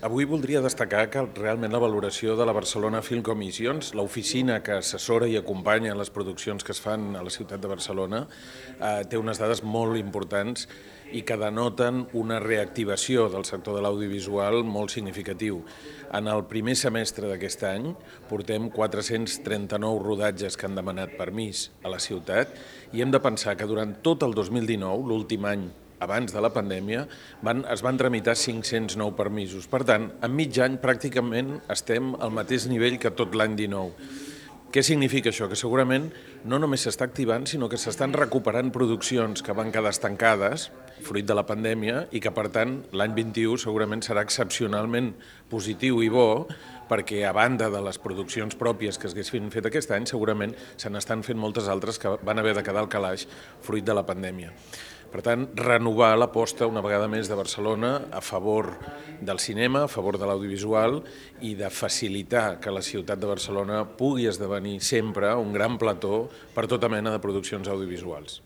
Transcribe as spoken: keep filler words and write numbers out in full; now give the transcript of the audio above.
Avui voldria destacar que realment la valoració de la Barcelona Film Commissions, l'oficina que assessora i acompanya les produccions que es fan a la ciutat de Barcelona, eh, té unes dades molt importants i que denoten una reactivació del sector de l'audiovisual molt significatiu. En el primer semestre d'aquest any portem quatre-cents trenta-nou rodatges que han demanat permís a la ciutat i hem de pensar que durant tot el dos mil dinou, l'últim any abans de la pandèmia, van, es van tramitar cinc-cents nou permisos. Per tant, en mig any pràcticament estem al mateix nivell que tot l'any dinou. Què significa això? Que segurament no només s'està activant, sinó que s'estan recuperant produccions que van quedar estancades, fruit de la pandèmia, i que, per tant, l'any vint-i-u segurament serà excepcionalment positiu i bo, perquè a banda de les produccions pròpies que s'haguessin fet aquest any, segurament se n'estan fent moltes altres que van haver de quedar al calaix fruit de la pandèmia. Per tant, renovar l'aposta una vegada més de Barcelona a favor del cinema, a favor de l'audiovisual i de facilitar que la ciutat de Barcelona pugui esdevenir sempre un gran plató per tota mena de produccions audiovisuals.